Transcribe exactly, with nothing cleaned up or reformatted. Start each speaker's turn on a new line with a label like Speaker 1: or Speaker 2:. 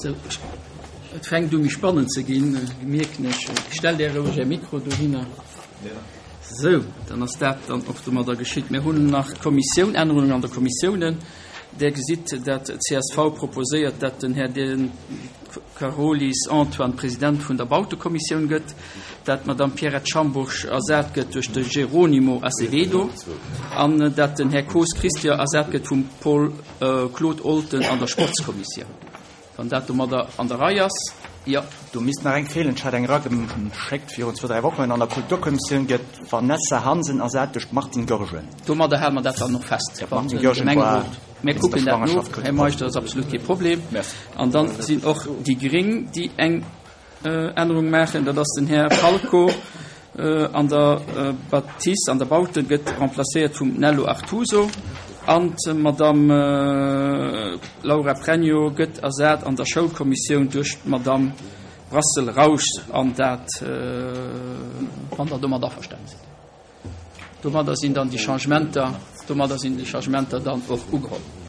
Speaker 1: Sou, et fänkt u méi spannend ze ginn, mierken ech. Stellt Är roueg Är Mikro dohinner. Sou, dann ass dat dann och domadder geschitt. Mir hunn nach d'Kommissioun, Ännerungen an der Kommissiounen. Där gesitt, dat csv proposéiert, dat den Här De Carolis Antoine President vun der Bautekommissioun gëtt, dat d'Madame Pierrette Schambourg ersat gëtt duerch de Geronimo Azevedo an dat den Här Koos Christian ersat gëtt vum Paul Claude Olten an der Sportskommissioun. Wann dat domadder an der Rei ass, jo.
Speaker 2: Do misst nach eng feelen. Ech hat eng erageschéckt virun zwou, dräi Wochen. An der Kulturkommissioun gëtt d'Vanessa Hansen ersat duerch d'Martine Goergen.
Speaker 1: Domadder hale mer dat dann och fest, wann de Gemengerot. Mir kucken dat no, Här Meisch, dat ass absolut kee Problem. An dann sinn och déi Gréng, déi eng Ännerung maachen. Dat ass den Här Falco an der Bâtisse, an der Baute gëtt remplacéiert vum Nello Artuso. An d'Madame Laura Pregno gëtt ersat an der Schoulkommissioun duerch d'Madame Brassel-Rausch. An dat, wann Der domat averstane sidd. Domadder sinn dann déi Changementer, domadder sinn déi Changementer dann och ugeholl.